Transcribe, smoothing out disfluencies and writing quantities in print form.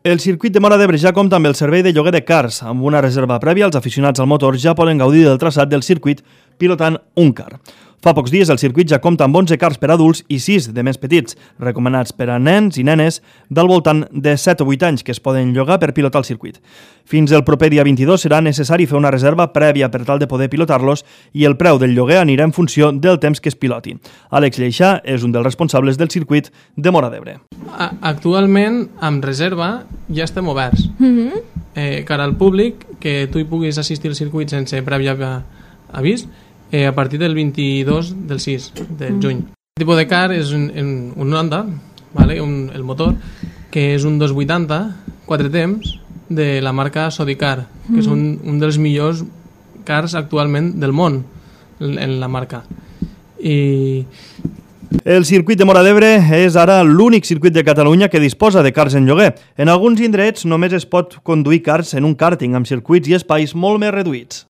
El circuit de Móra d'Ebre ja compta amb el servei de lloguer de cars. Amb una reserva prèvia, els aficionats al motor ja poden gaudir del traçat del circuit pilotant un car. Fa pocs dies el circuit ja compta amb 11 cars per adults i 6 de més petits, recomanats per a nens i nenes del voltant de 7 o 8 anys que es poden llogar per pilotar el circuit. Fins el proper dia 22 serà necessari fer una reserva prèvia per tal de poder pilotar-los i el preu del lloguer anirà en funció del temps que es piloti. Àlex Lleixà és un dels responsables del circuit de Móra d'Ebre. Actualment, amb reserva, ja estem oberts. Cara al públic, que tu hi puguis assistir al circuit sense previ avís, a partir del 22 del 6 de juny. El tipus de car és un Honda, el motor, que és un 280, 4 temps, de la marca Sodicar, que és un dels millors cars actualment del món en la marca. El circuit de Móra d'Ebre és ara l'únic circuit de Catalunya que disposa de cars en lloguer. En alguns indrets només es pot conduir cars en un càrting amb circuits i espais molt més reduïts.